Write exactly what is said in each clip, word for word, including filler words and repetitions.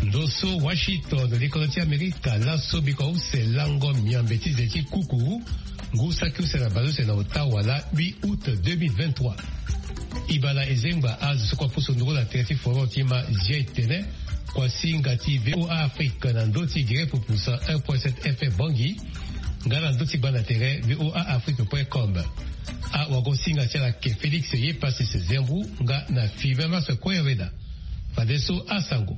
Ndo so Washington, likolo ti Amerika, laso biko use lango miambe ti ze ti kuku, ngu saki use na baleuse na ota wala huit août deux mille vingt-trois. Ibala ezengba azo so kua pusu nduru na tere ti forum ti ma zia etene, kua singa ti V O A Afrique na ndo ti gere pupusa un point sept F M Bangui, nga na ndo ti gba na tere V O A Afrique point com. Awago singa ti ala ke Félix Yepasis Zembu nga na Five Mars Koyaweda. Fadeso asango.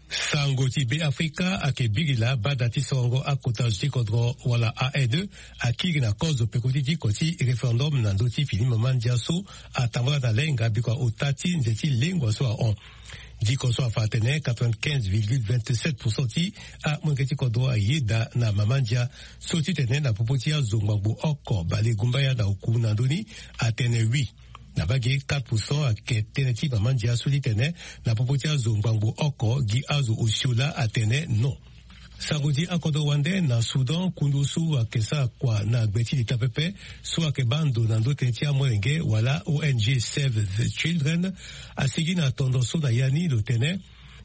Sango ti Be Afrika ayeke biri laa bada ti sorongo akota zo ti kodro wala A N E akiri na kozo peko ti diko ti référendum na ndö ti fini mama ndia so atambula na lenga biko ota ti nze ti lengua so ahon. Diko so afa atene quatre-vingt-quinze virgule vingt-sept pour cent ti amolenge ti kodro ayeda na mama ndia so titene na popo ti azo ngbangbo oko bale gumbaya na oku na ndö ni atene oui. Na mbage quatre pour cent ayeke tënë ti mama ndia so ti tene na popo ti azo ngbangbo oko gi azo osio laa atene non. Sango ti akodro wande na Soudan, kundu so ayeke sara kua na gbe ti leta pepe so ayeke baa ndo na ndö tënë ti amolenge wala O N G Save the Children asigi na tondo so na ya ni lo tene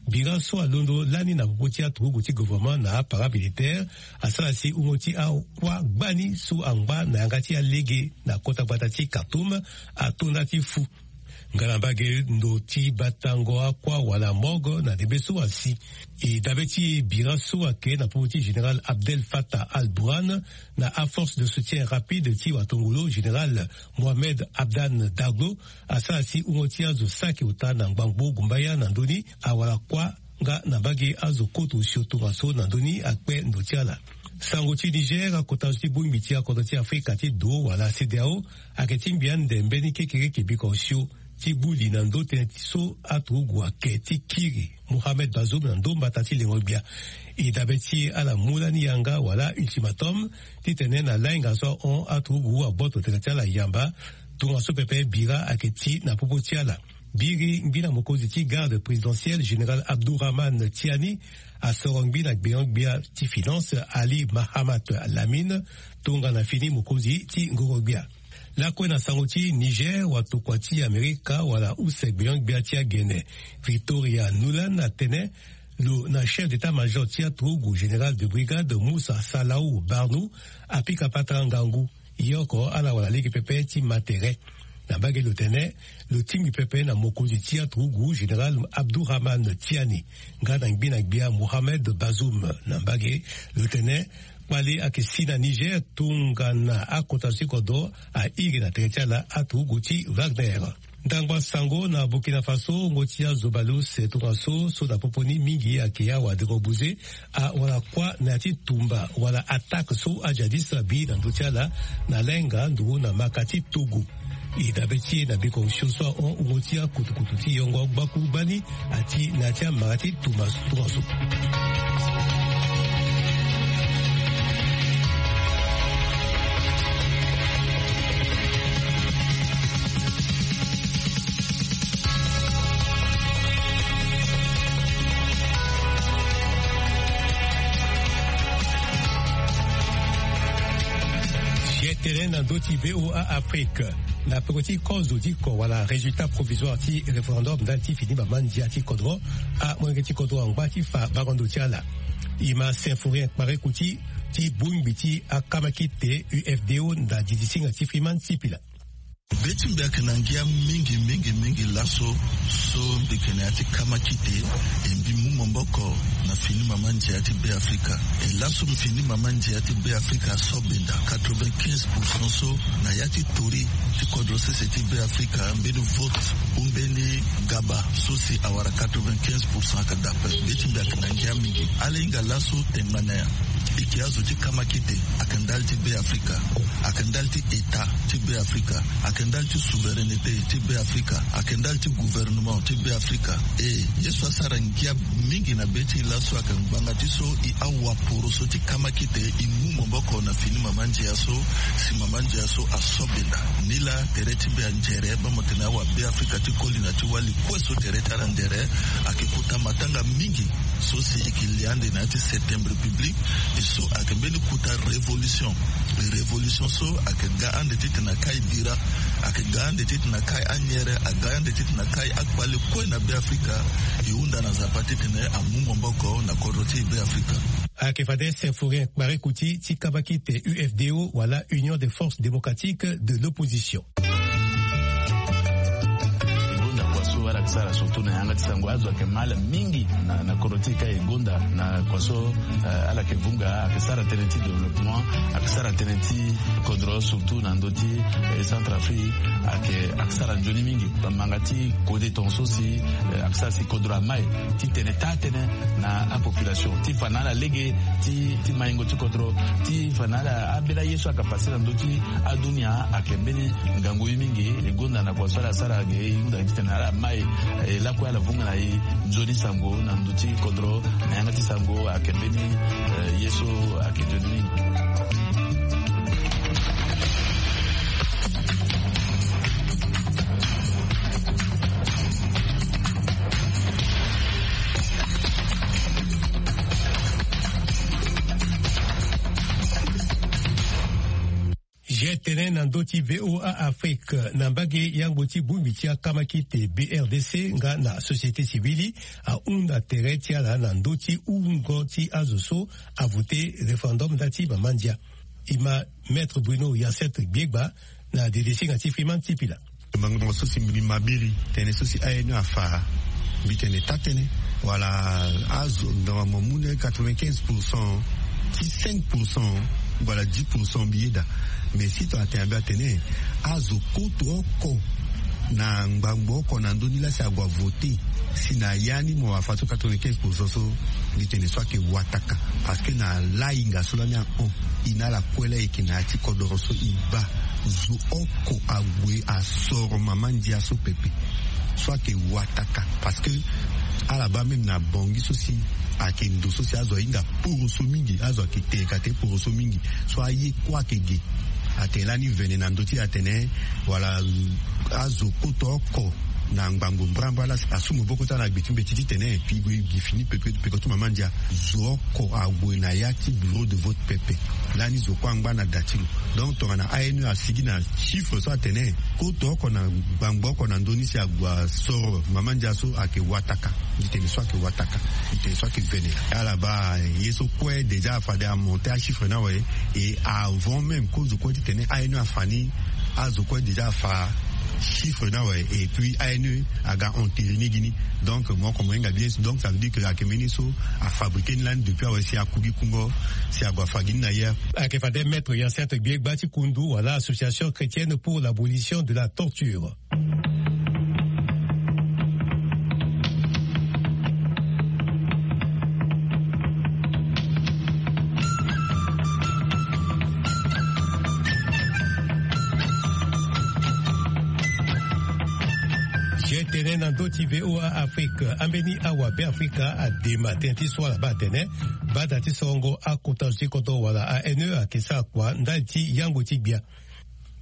bira so alondo lani na popo ti aturugu ti gouvernement na aparamilitaire asara si hungo ti akuâ gbani so angba na yanga ti alege na kota gbata ti Khartoum atonda ti fu. Nga na mbage ndo ti batango akuâ wala morgue na ndembe so asi. E dabe ti bira so ayeke na popo ti général Abdel Fattah al-Burhan na aforce de soutien rapide ti watongolo général Mohamed Hamdan Daglo asara si hungo ti azo saki ota na ngbangbo gumbaya na ndö ni awara kuâ nga na mbage azo koto osio tongaso na ndö ni akpe ndo ti ala. Sango ti Niger, akota zo ti bongbi ti akodro ti Afrika ti do wala CEDEAO ayeke ti ngbia ande mbeni kekereke biko osio ti buli na ndö tënë ti so aturugu ayeke ti kiri Mohamed Bazoum na ndö mbata ti lengo-gbia. E dabe ti ala mu lani yanga wala ultimatum titene na lainga so ahon aturugu agboto tene ti ala yamba. Tongaso pepe bira ayeke ti na popo ti ala. Biri ngbina mokonzi ti garde présidentielle général Abdourahmane Tiani asoro ngbina gbenyo-gbia ti finance Ali Mahamat Lamine tongana fini mokonzi ti ngoro-gbia. Lakue na sango ti Niger, watokua ti Amerika wala use gbenyo-gbia ti agene Victoria Nuland atene lo na chef d'état-major ti aturugu général de brigade Moussa Salahu Barnou apika patara ngangu. Ye oko ala wala lege pepe ti ma tere. Na mbage lo tene lo tingbi pepe na mokonzi ti aturugu général Abdourahmane Tiani nga na ngbina-gbia Mohamed Bazoum. Na mbage lo tene kpale ayeke si na Niger tongana akota zo ti kodro airi na tere ti ala aturugu ti Wagner. Ndangba sango na Burkina Faso, wungo ti azo baleuse tongaso so na popo ni mingi ayeke awa deko buze awara kuâ na ya ti tumba wala attaque so ajihadiste abi na ndö ti ala na lainga nduru na maka ti Togo. E dabe ti e na biko osio so ahon wungo ti akutukutu ti yongo gbaku gbani ati na ya ti amara ti tumba tongaso. Sietene na ndö ti V O A Afrique. Na peko ti kozo ti ko wala résultat provisoire ti référendum ndali ti fini mama ndia ti kodro, amolenge ti kodro angba ti fa bango ndo ti ala. E ma Symphorien Kparekouti ti bongbi ti akamakite U F D O na didi singa ti Freeman Sipila. Be ti mbi ayeke na ngia mingi mingi mingi laso so mbi yeke na ya ti kamakite. E mbi mu maboko na fini mama ndia ti Be Afrika. E laso mbi fini mama ndia ti Be Afrika aso benda quatre-vingt-quinze pour cent so na ya ti tori ti kodro sese ti Be Afrika, mbeni vote ou mbeni gaba so si awara quatre-vingt-quinze pour cent ayeke dape. Be ti mbi ayeke na ngia mingi. Ala hinga laso tengana ya. E yeke azo ti kamakite, ayeke ndali ti Be Afrika, ayeke ndali ti État ti Be Afrika, ayeke ndali ti souveraineté ti Be Afrika, ayeke ndali ti gouvernement ti Be Afrika. E ye so asara ngia mingi na be ti e laso ayeke ngbanga ti so e awaporo so ti kamakite, e mu maboko na fini mama ndia so si mama ndia so aso benda. Nilaa tere ti mbi anzere, bamotene awa Be Afrika ti koli na ti wali kue so tere ti ala andere, ayeke kota matanga mingi so si e yeke li ande na ya ti septième république. E so ayeke mbeni kota révolution. Révolution so ayeke ga ande titene akai bira Ayeke ga ande titene akai anyere, aga ande titene akai akpale kue na Beafrika. E hunda na Nzapa titene amu maboko na kodro ti Beafrika. Ayeke fade Symphorien Kpari Kuti ti kabakite U F D O wala Union des Forces Démocratiques de l'Opposition. E gonda kua so ala yeke sara surtout na yanga ti sango, azo ayeke mal mingi na, na kodro ti e ka e gonda na kua so, eh, ala yeke vunga, ayeke sara tënë ti développement, ayeke sara tënë ti kodro surtout na ndö ti, eh, Centrafrique, ayeke, ayeke sara nzoni mingi. Bamanga ti kode tongaso si, eh, ayeke sara si kodro amai titene taa tënë na apopulation ti fa na ala lege ti, ti maingo ti kodro, ti fa na ala ambeni aye so ayeke pase na ndö ti adunia. Ayeke mbeni ngangu ye mingi. E gonda na kua so ala sara ge, e hunda titene ala mai, eh, lakue ala vunga na e nzoni sango na ndö ti kodro, na yanga ti sango ayeke mbeni, eh, ye so ayeke nzoni mingi. G tene na ndö ti V O A Afrique, na mbage yango ti bongbi ti akamakite B R D C nga na société civile, ahunda tere ti ala na ndö ti hungo ti azo so avote référendum nda ti mama ndia. E ma Maître Bruno Hyacinthe Gbiegba na dedesinga ti Freeman Tipila. Ngbangbo so si mbi ma biri tënë so si A N E afa, mbi tene taa tënë, wala azo, na mo mu na quatre-vingt-quinze pour cent ti cinq pour cent wala dix pour cent mbi yeda. Mais si tongana atene, mbi atene azo koto oko na ngbangbo oko na ndö ni laa si ague avote, si na ya ni mo afa so quatre-vingt-quinze pour cent so, mbi tene so ayeke wataka. Parce que na lahinga so lani ahon, e na ala kue laa e yeke na ya ti kodoro so e baa, zo oko ague asoro mama ndia so pepe. So ayeke wataka. Parce que ala baa même na Bangui so si ayeke ndo so si azo ahinga poroso mingi, azo ayeke tene kate poroso mingi. So aye kue ayeke ge. Atene lani vene na ndö ti e atene, wala, azo koto oko na ngbangbo mbrambra laa si asu maboko ti ala na gbe ti mbeti titene e gue gi fini peko, peko ti mama ndia. Zo oko ague na ya ti bureau de vote pepe. Lani zo kue angba na da ti lo. Donc tongana A N E asigi na chiffre so atene koto oko na ngbangbo oko na ndö ni si ague asoro mama ndia so ayeke wataka. Mbi tene so ayeke wataka. Mbi tene so ayeke vene. Ala baa ye so kue déjà fade amonte achiffre ni awe. Et avant même kozo kue titene A N E afa ni, azo kue déjà afa chiffre ni awe. Et puis A N E aga entériner gi ni. Donc mo oko mo hinga bien. Donc ça veut dire que ayeke mbeni so afabriquer ni lani depuis awe si aku gi kungo, si ague afa gi ni na hier. Ayeke fade Maître Hyacinthe Gbiegba ti kundu wala Association chrétienne pour l'abolition de la torture. G tene na ndö ti V O A Afrique, ambeni awa Beafrika adema tënë ti so ala baa atene bada ti sorongo akota zo ti kodro wala A N E ayeke sara kua ndali ti yango ti gbia.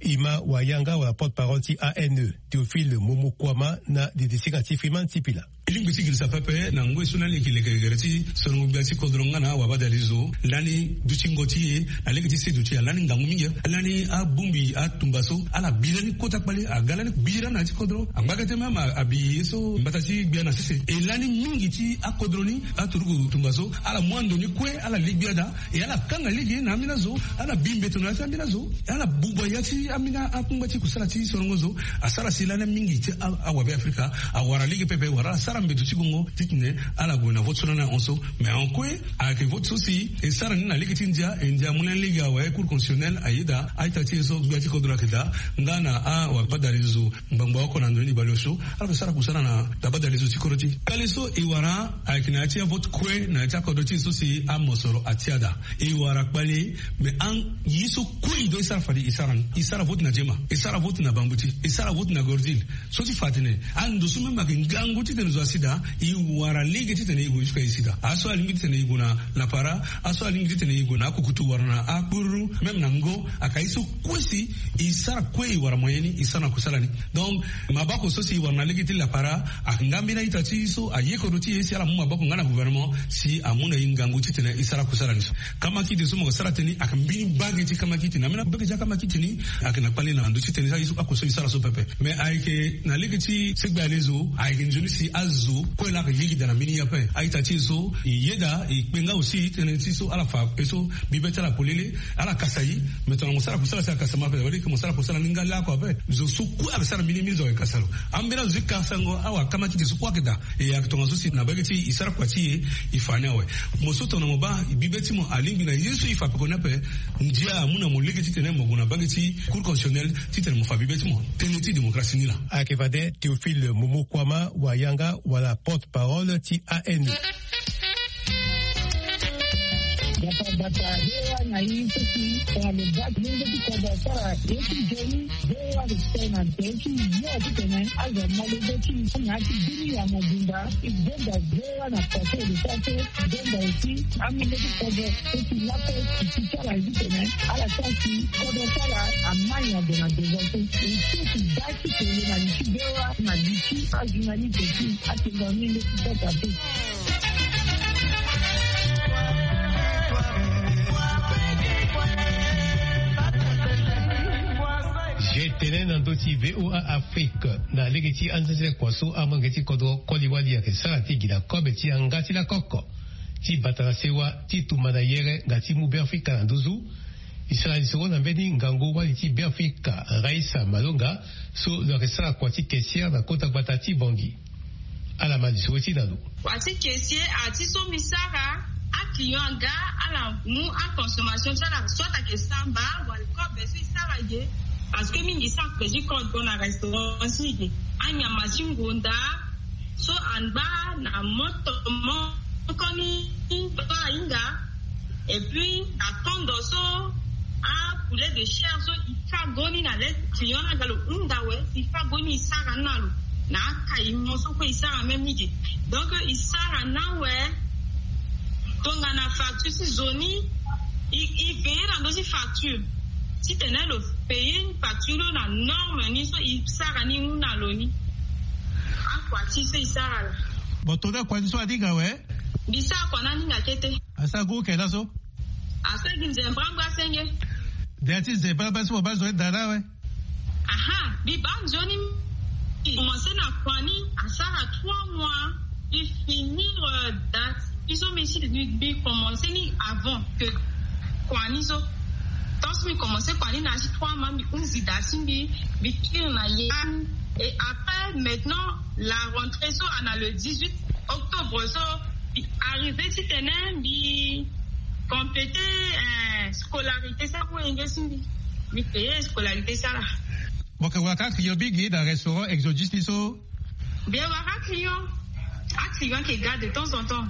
E ma wayanga wala porte-parole ti A N E, Théophile Momokuama, na dedesinga ti Freeman Tipila. E lingbi ti girisa pepe na ngoi so lani e yeke leke gere ti sorongo gbia ti kodro nga na awabadalizo lani dutingo ti e na lege ti seduti alani ngangu mingi. Lani abongbi atumba so ala bi lani kota kpale aga lani bira na ya ti kodro. Angba kete même abi ye so mbata ti gbia na sese. E lani mingi ti akodro ni aturugu tumba so ala mu ando ni kue ala li gbia daa. E ala kanga lege na ambeni azo, ala bi mbeto na ya ti ambeni azo, ala bugba ya ti ambeni akungba ti kusala ti sorongo zo. Asara si lani mingi ti a- awabe Afrika awara lege pepe wala ala sara mbeto ti gongo titene ala gue na vote so lani ahon so. Mais ahon kue ayeke vote so si e sara ni na lege ti ndia, e ndia amu lani lege awe. Cour constitutionnelle ayeda a-ita ti e so gbia ti kodro ayeke daa nga na awabadalizo ngbangbo oko na ndo ni baleosio. Ala yeke sara kusala na tabadalizo ti kodro ti e. Kpale so e wara ayeke na ya ti avote kue na ya ti akodro ti e so si amosoro atia daa. E wara kpale, me an ye so kue e doit e sara fade e sara ni. E sara vote na Jema, e sara vote na Bambuti, e sara vote na Gordil. So ti fa atene ando so même ayeke ngangu titene zo Sida, e wara lege titene e gue jusque e sida. Aso alingbi titene e gue na lapara, aso alingbi titene e gue na akukutu wala na akpururu, même na ngo, aka ye so kue si e sara kue e wara moyen ni e sara na kusala ni. Donc maboko so si e wara na lege ti lapara, aka nga mbeni a-ita ti e so aye kodro ti e si ala mu maboko nga na gouvernement si amu na e ngangu titene e sara kusala ni so. Kamakite so mo yeke sara tënë ni ayeke mbeni mbage ti kamakite. Na mbeni mbage ti akamakite ni ayeke na kpale na ndo ti tënë ni so oko so e sara so pepe. Mais ayeke na lege ti segbe alezo, ayeke nzoni si azo kue laa ayeke yeke daa na mbeni ye ape. A-ita ti e so e yeda e kpe nga aussi tënë ti so ala fa e so bibe ti ala polele, ala kasa e. Mais tongana mo sara kusala si akasa ma ape, wali ke mo sara kusala ni nga laa oko ape. Zo so kue ayeke sara mbeni mbeni zo ayeke kasa lo. Ambeni azo ti kasango awa kamakite so kue ayeke daa. E ayeke tongaso si na mbage ti e e sara kua ti e, e fa ni awe. Mo so tongana mo baa bibe ti mo alingbi na ye so e fa pekoni ape, ndia amu na mo lege titene mo gue na mbage ti Cour constitutionnelle titene mo fa bibe ti mo. Tënë ti démocratie ni laa. Ayeke fade Théophile Momo Kouama, wayanga wala porte-parole ti A N. Gbata gbata, he wa na ye so si tongana lo baa ti lenge ti kodro asara ye ti nzoni. Ve wa respect na nze ti yo titene azo amolenge ti na ti bini ya mobimba. E benda ve wa na pase de pase, benda aussi amolenge ti kodro so si lape ti ti ti ala titene ala sara si kodro ti ala amai na ndo na devant so. E so ti baa ti tene na li ti ve wa na li ti ajournaliste ti atenga menge ti kota te. Ge tene na ndö ti V O A Afrique na lege ti anzenzele kua so amolenge ti kodro koli wali ayeke sara ti gi na kobe ti yanga ti lakoko ti bata na sewa ti tumba na yere nga ti mu Beafrika na nduzu. E sara lisoro na mbeni ngangu wali ti Beafrika, Raissa Malonga, so lo yeke sara kua ti caissière na kota gbata ti Bangui. Ala ma lisoro ti na lo. Kua ti caissier, a ti so mbi sara, aclient aga, ala mu aconsommation ti ala, soit ayeke samba wala kobe so e sara ge. Parce que mingi so akredi code go na restaurant ti e ge, anyama ti ngonda so angba na moto moko ni, so ahinga. Et puis na kondo so apoulet de chair so e fa go ni na le client ni aga lo hunda awe, e fa go ni e sara ni na lo na akaimo so kue e sara même ni ge. Donc e sara ni awe. Tongana facture ti zo ni, e veiller na ndö ti facture titene lo payer facture lo na norme ni so e sara ni mu na lo ni. Akua ti so e sara la. Bon, tongana kua ti so aninga awe. Mbi sara kua ni aninga kete. Asara gu oko laso. Asara gi nzembra ngu asenge. Ndia ti nzembra ngu asi mo baa nzoni daa na awe. Aha, mbi baa nzoni. Mbi commencé na kua ni asara trois mois. Mbi finir, euh, daa ti mbi so mbi si mbi commencé ni avant que kua ni so. Tant so mbi commencé kua ni na ya ti trois mois, mbi hunzi daa ti mbi, mbi kiri na ya ni. Et après, maintenant, la rentrée so ana le dix-huit octobre so, mbi arrivé titene mbi compléter, euh, scolarité so wenge ti mbi. Mbi payer scolarité so ala. Mo yeke wara kâ client mingi na restaurant Exodus ni so? Mbi yeke wara kâ client. Aclient ayeke ga de temps en temps.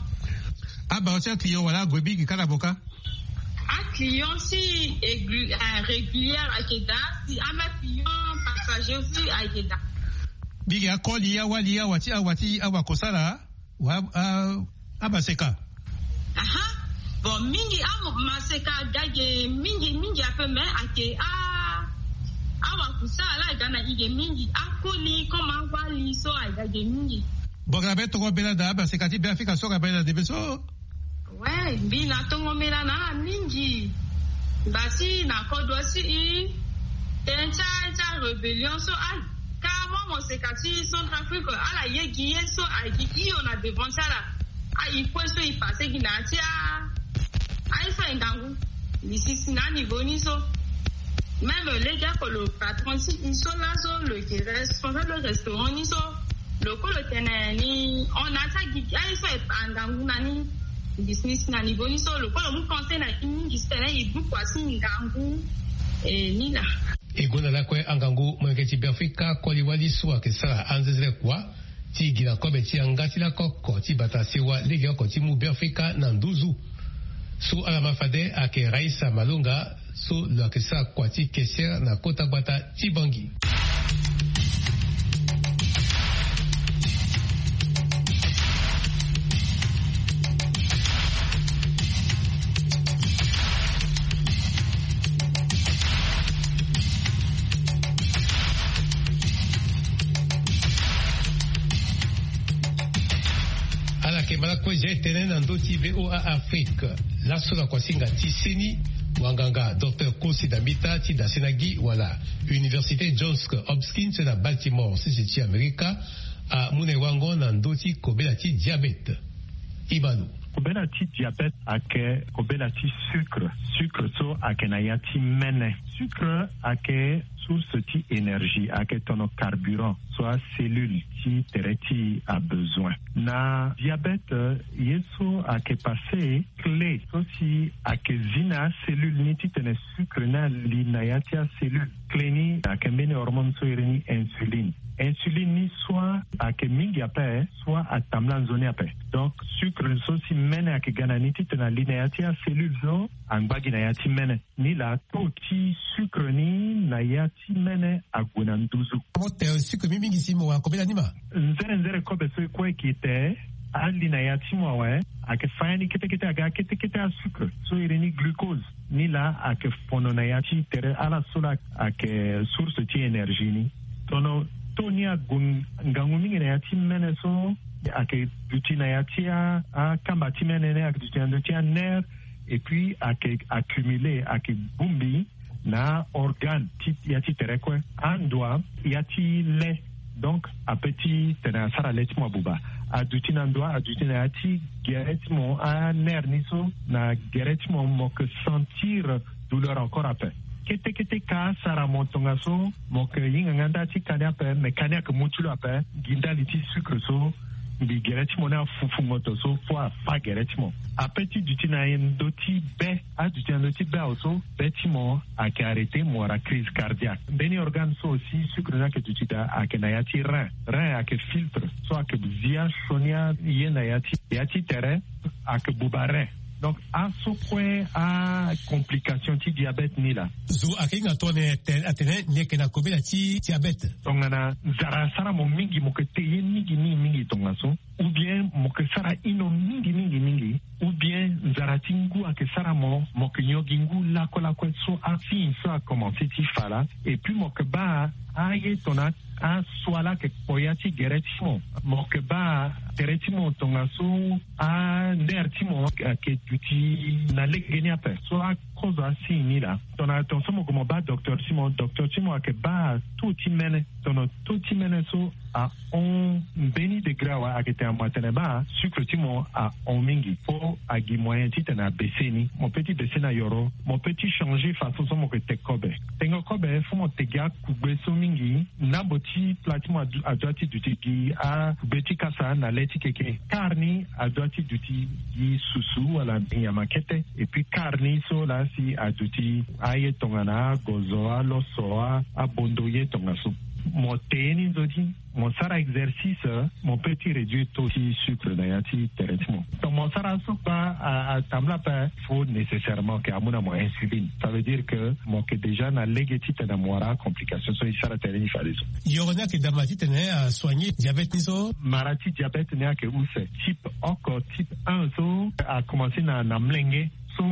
Abaro ti aclient wala ague mingi kâ na mo kâ? Aclient si aigu-, euh, régulière ayeke daa, si aclient passager aussi ayeke daa. Mingi akoli, awali, awa ti, awa ti, awa kosala. Wa, a, amaseka. Aha. Bon, mingi amaseka aga ge mingi, mingi ape, mais ayeke a, awakusala ala aga na e ge mingi. Akoli comme awali so aga ge mingi. Bon, ga na be tongo mbela na amaseka ti Beafrika so, ga mbela na ndembe so. Ouais, mbi na tongo mbela na ala mingi. Mbi baa si na kodro ti e, tënë ti a, ti arébellion so, a, ka mo, moseka ti Centrafrique, ala ye gi ye so, a, gi hio na devant ti ala. A, e kue so e passé gi na ya ti a, aye so aye ngangu. Mbi sisi na aniveau ni so. Même lege oko lo patron ti e so laso, lo yeke responsable restaurant ni so. Lo kue lo tene ni, on a ti agigi aye so e pa ngangu na ni. Mbi si ni si na niveau ni so, lo kue lo mu conseil na e mingi titene e du kua ti ngangu, eh, ni laa. E gonda lakue angangu molenge ti Beafrika koli wali so ayeke sara anzenzele kua ti gi na kobe ti yanga ti lakoko ti bata sewa lege oko ti mu Beafrika na nduzu. So ala ma fade ayeke Raissa Malonga, so lo yeke sara kua ti caissière na kota gbata ti Bangui. Mbala kue zia etene na ndö ti VOA Afrique. Laso na kuasinga ti seni, wanganga Docteur Kosi Dambita ti Dasenagi wala Université Johns Hopkins na Baltimore, sese ti Amerika, amu na e wango na ndö ti kobela ti diabète. Ibalo. Kobela ti diabète ayeke kobela ti sucre. Sucre so ayeke na ya ti mene. Sucre ayeke source ti énergie, ayeke tono carburant so acellule ti tere ti e abezoin. Na diabète, ye so ayeke passé, clé so si ayeke zi na acellule ni titene sucre ni ali na ya ti acellule. Clé ni ayeke mbeni hormone so iri ni insuline. Insuline ni soit ayeke mingi ape, soit atambula nzoni ape. Donc sucre so si mene ayeke ga na ni titene ali na ya ti acellule so angba gi na ya ti mene. Ni laa taux ti sucre ni na ya ti mene ague na nduzu. Mo te sucre mingi mingi si mo wara kobela ni ma. Nzere nzere kobe so e kue e gi te ali na ya ti mo awe, ayeke fa ya ni kete kete aga kete kete asucre so iri ni glucose. Ni laa ayeke fono na ya ti tere ala so laa ayeke source ti énergie ni. Tono taux ni ague ngangu mingi na ya ti mene so ayeke duti na ya ti a, akamba ti mene ni ayeke duti na ndö ti anerf. Et puis ayeke accumulé, ayeke bongbi na organe ti ya ti tere kue. Andua ya ti le, donc ape ti tene asara le ti mo abuba. Aduti na ndua, aduti na ya ti gere ti mo, anerf ni so na gere ti mo, mo yeke sentir douleur encore ape. Kete kete ka asara mo tongaso, mo yeke hinga nga nda ti ka ni ape, me ka ni ayeke mu ti lo ape. Gi ndali ti sucre so mbi gere ti mo ni afufu ngoto so fo afa gere ti mo. Ape ti duti na ndö ti be, aduti na ndö ti be awe so be ti mo ayeke arrêté, mo wara crise cardiaque. Mbeni organe so aussi sucre ni ayeke duti daa ayeke na ya ti rein. Rein ayeke filtre so ayeke zi asioni aye na ya ti, ya ti tere ayeke buba rein. Donc aso kue acomplication ti diabète ni laa. Zo ayeke hinga tongana atene ni yeke na kobela ti diabète. Tongana nzara asara mo mingi, mo yeke te ye mingi mingi mingi tongaso, ou bien mo yeke sara hino mingi mingi mingi, ou bien nzara ti ngu ayeke sara mo, mo yeke nyon gi ngu lakue lakue so asigne so akomanse ti fa laa. Et puis mo yeke baa aye tongana aso ala yeke kpo ya ti gere ti mo. Mo yeke baa tere ti mo tongaso, anerf ti mo ayeke duti na legeni ape. So akozo asigne ni laa, tongana tongaso mo gue mo baa docteur ti mo, docteur ti mo ayeke baa taux ti mene. Tongana taux ti mene so ahon mbeni degré awe, ayeke tene mo atene baa sucre ti mo ahon mingi. Fo agi moyen titene abaisse ni. Mo peut ti baisse na yoro, mo peut ti changer façon so mo yeke te kobe. Tengo kobe fo mo te gi akugbe so mingi. Ndambo ti plat ti mo adu-, adua ti duti gi akugbe ti kasa na le ti keke. Kar ni adua ti duti gi susu wala nyama kete. Et puis kar ni so laa si aduti aye tongana agozo, aloso, a, abondo ye tongaso. Mo te ye ni nzoni, mo sara exercice, mo peut ti réduire taux ti sucre na ya ti tere ti mo. Donc mo sara so kpa a, atambula ape, fo nécessairement ke amu na mo insuline. Ça veut dire que mo yeke déjà na lege titene mo wara acomplication so e sara tere ni fadeso. Yoro ni ayeke daa ma titene asoigner diabète ni so? Mara ti diabète ni ayeke use. Type oko, type un so akomanse na, na molenge. So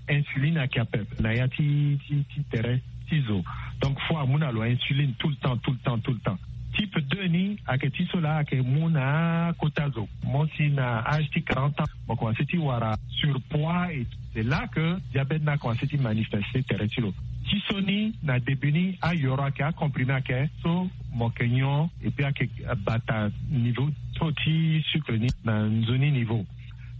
insuline ayeke ape na ya ti, ti, ti tere ti zo. Donc fo amu na lo insuline tout le temps, tout le temps, tout le temps. Type deux ni ayeke ti so laa ayeke mu na akota zo. Mo si na âge ti quarante ans, mo komanse ti wara surpoids et c'est là que diabète ni akomanse ti manifester tere ti lo. Ti so ni na début ni ayoro ayeke, acomprimé ayeke, so mo yeke nyon et puis ayeke bata niveau taux ti sucre ni na nzoni niveau.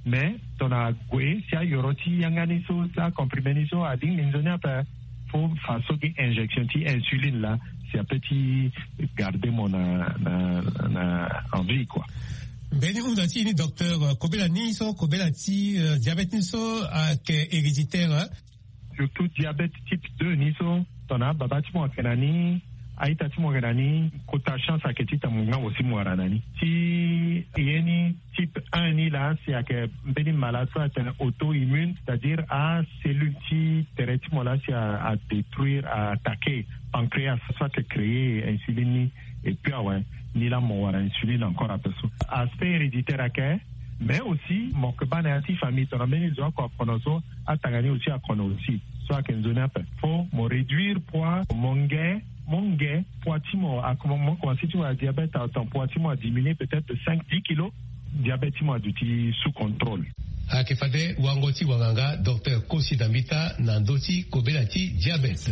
Mais tongana ague si ayoro ti yanga ni so, ti acomprimé ni so alingbi nzoni ape, fo faso gi injection ti insuline laa si ape ti garder mo na, na, na en vie quoi. Mbeni hunda ti e ni docteur, kobela ni so, kobela ti, euh, diabète ni so ayeke héréditaire, hein? Surtout diabète type deux ni so, tongana ababa ti mo ayeke na ni, a-ita ti mo ayeke na ni, kota chance ayeke ti tene mo ngangu si mo wara na ni. Ti ye ni type un ni laa si ayeke mbeni malade so atene auto-immune, c'est-à-dire acellule ti tere ti mo laa si a, adétruire, a attaquer pancréas so ayeke créer insuline ni. Et puis awe, ni laa mo wara insuline encore ape so. Aspect héréditaire ayeke, mais aussi mo yeke baa na ya ti famille, tongana mbeni zo oko akono so, atanga ni aussi akono aussi. So ayeke nzoni ape. Fo mo réduire poids, mo nge, mo nge, poids ti mo, a, mo, mo komanse ti wara diabète, a, ton poids ti mo adiminuer peut-être de cinq, dix kilos. Diabète ti mo aduti sous contrôle. Ayeke fade wango ti wanganga docteur Kosi Dambita na ndö ti kobela ti diabète.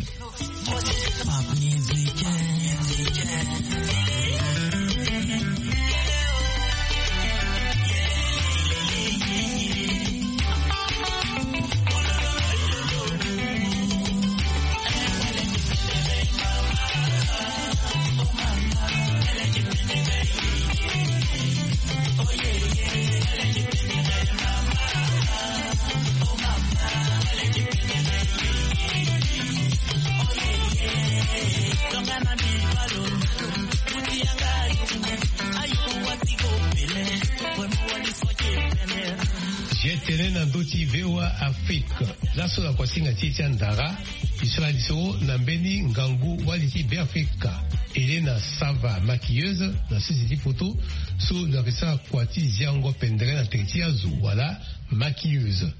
Ye tene na ndö ti V O A Afrique. Laso na kuasinga ti e ti andara, e sara liso na mbeni ngangu wali ti Beafrika, Elena Sava, maquilleuse na sese ti poto, so lo yeke sara kua ti ziango pendere na tere ti azo wala maquilleuse.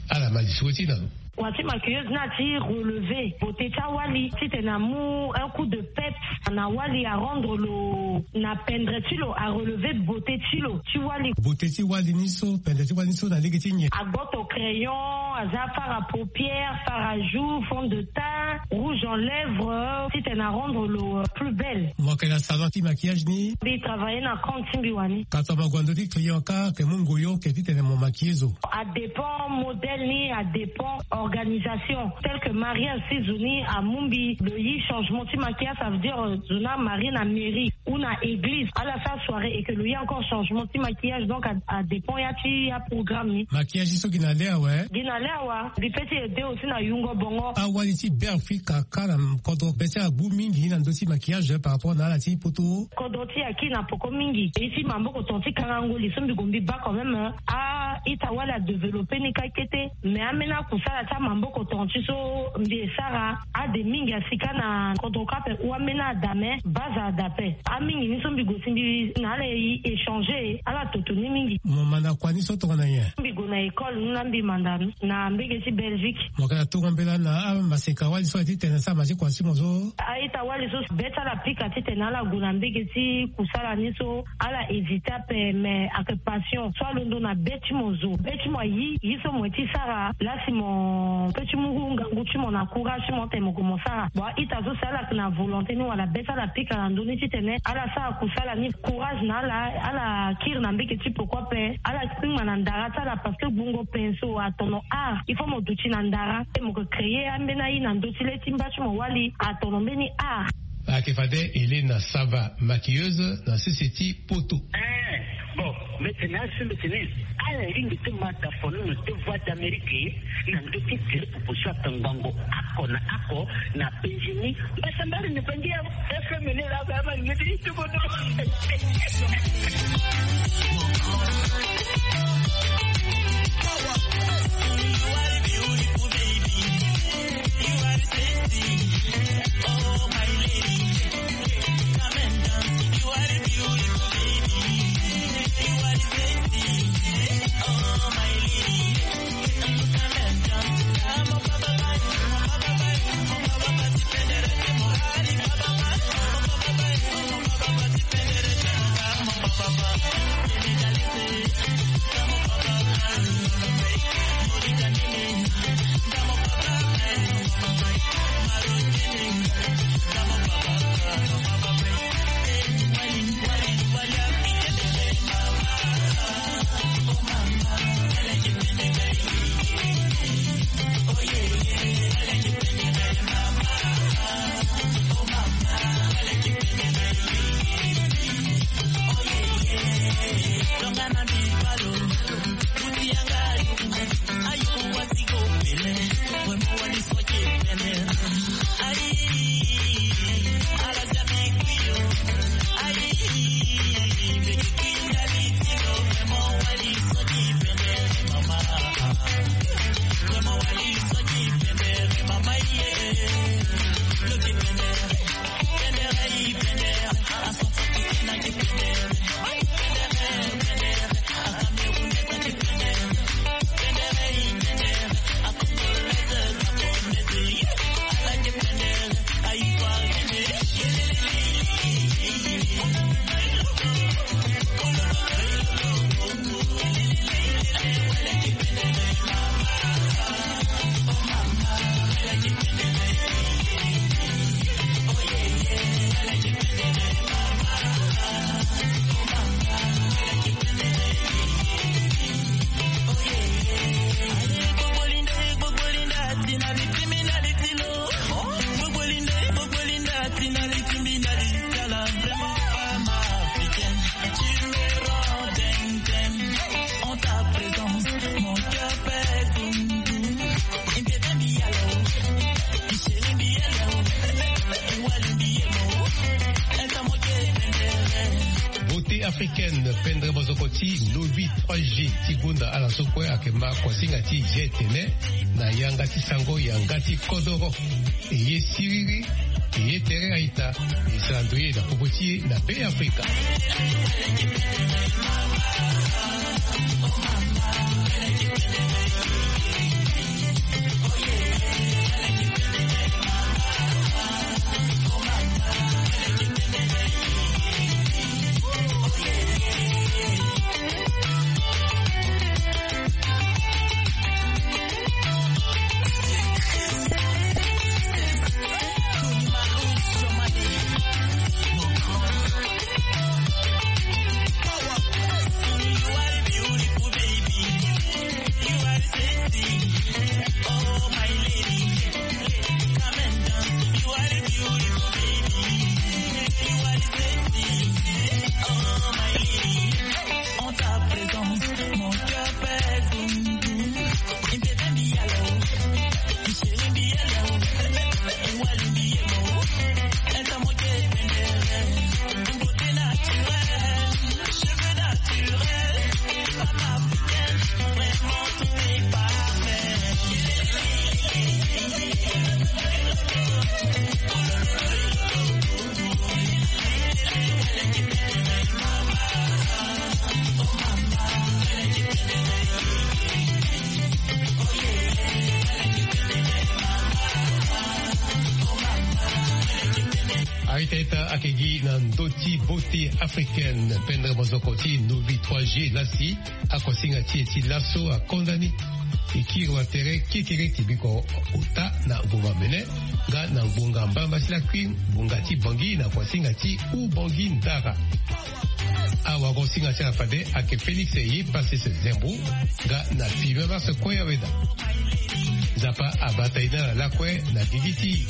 Ala ma liso ti na lo. Kua ti maquilleuse ni ati relever beauté ti awali titene amu un coup de peps na wali, arendre lo na pendre ti lo, arelever beauté ti lo ti wali. Beauté ti wali ni so, pendre ti wali ni so na lege ti nyen? Agboto crayon, aza fard à paupières, fard à joues, fond de teint, rouge en lèvres, titene arendre lo, euh, plus belle. Mo yeke na salon ti maquillage ni? Mbi travailler na compte ti mbi wani. Ka tongana mo gue na ndö ti client kâ, ayeke mu ngoyo, ayeke titene mo maquiller zo? Adépend modèle ni, adépend organisation. Tel que mariage ti zo ni amu mbi lo yi changement ti maquillage, ça veut dire, euh, zo ni amarie na mairie ou na église, ala sara soirée et que lo yi encore changement ti maquillage, donc a, adépend ya ti aprogramme ni. Maquillage ni so gi na le awe? Gi na le awe. Mbi peut ti aider aussi na yungo bongo. Awali ti Beafrika kâ na kodro be ti ala agbu mingi na ndö ti maquillage par rapport na ala ti poto? Kodro ti e akiri na peko mingi. Ye ti maboko tonga ti kangango li so mbi gue mbi baa quand même, hein. A-ita wali adévelopper ni kâ kete. Mais ambeni akusala ti amaboko tonga ti so mbi e sara, ade mingi asi kâ na kodro kâ ape, ou ambeni ada, mais base ada ape. Amingi ni so mbi gue si mbi na ala e échanger, ala toto ni mingi. Mo manda kua ni so tongana nyen? Mbi gue na école ni na mbi manda ni na mbege ti Belgique. Mo yeke na tongo mbela na amaseka wali so aye titene asara ma ti kua ti mo so? A-ita wali so be ti ala apika titene ala gue na mbege ti kusala ni so, ala hésiter ape, mais ayeke passion so alondo na be ti mo zo. Be ti mo ayi ye so mo ye ti sara, la si mo peut ti mu ngangu ti mo na courage ti mo tene mo gue mo sara. Bon, a-ita so si ala yeke na volonté ni wala be ti ala apika na ndö ni titene ala sara kusala ni, courage na ala, ala kiri na mbege ti peko ape, ala kpingba na ndara ti ala parce que gbungo pinceau atono art. Il faut mo duti na ndara, mo yeke créer ambeni aye na ndö ti le ti mba ti mo wali, atono mbeni art. Ayeke fade Elena Sava, maquilleuse na sese ti poto. Eh, bon, mbi tene asi mbi tene, ala ringi ti mata fono na te Voix d'Amérique na ndö ti tere popo so atangbango oko na oko na penzi ni. Mbasambala ni bangi ya F M ni la ba ma ni ti tuko do. Africaine, pendre mozoko ti Novi trois G ti gonda ala so kue ayeke ma kuasinga ti G T N na yanga ti sango yanga ti kodoro. E ye siriri, e ye tere a-ita. E sara ndoye na popo ti e na Be Afrika. A-ita-ita ayeke gi na ndö ti beauté africaine, pendre mozoko ti Novi trois G lasi. Akuasinga ti e ti laso akonda ni. E kiri wa tere kekereke biko ota na ngbonga mene nga na ngbonga mbamba ti lakui ngbonga ti Bangui na kuasinga ti Oubangui Ndara. Awagosinga ti ala fade ayeke Félix Eye Passe Zembo nga na Fibin Mars Koyaweda. Nzapa abata e na ala lakue na gigi ti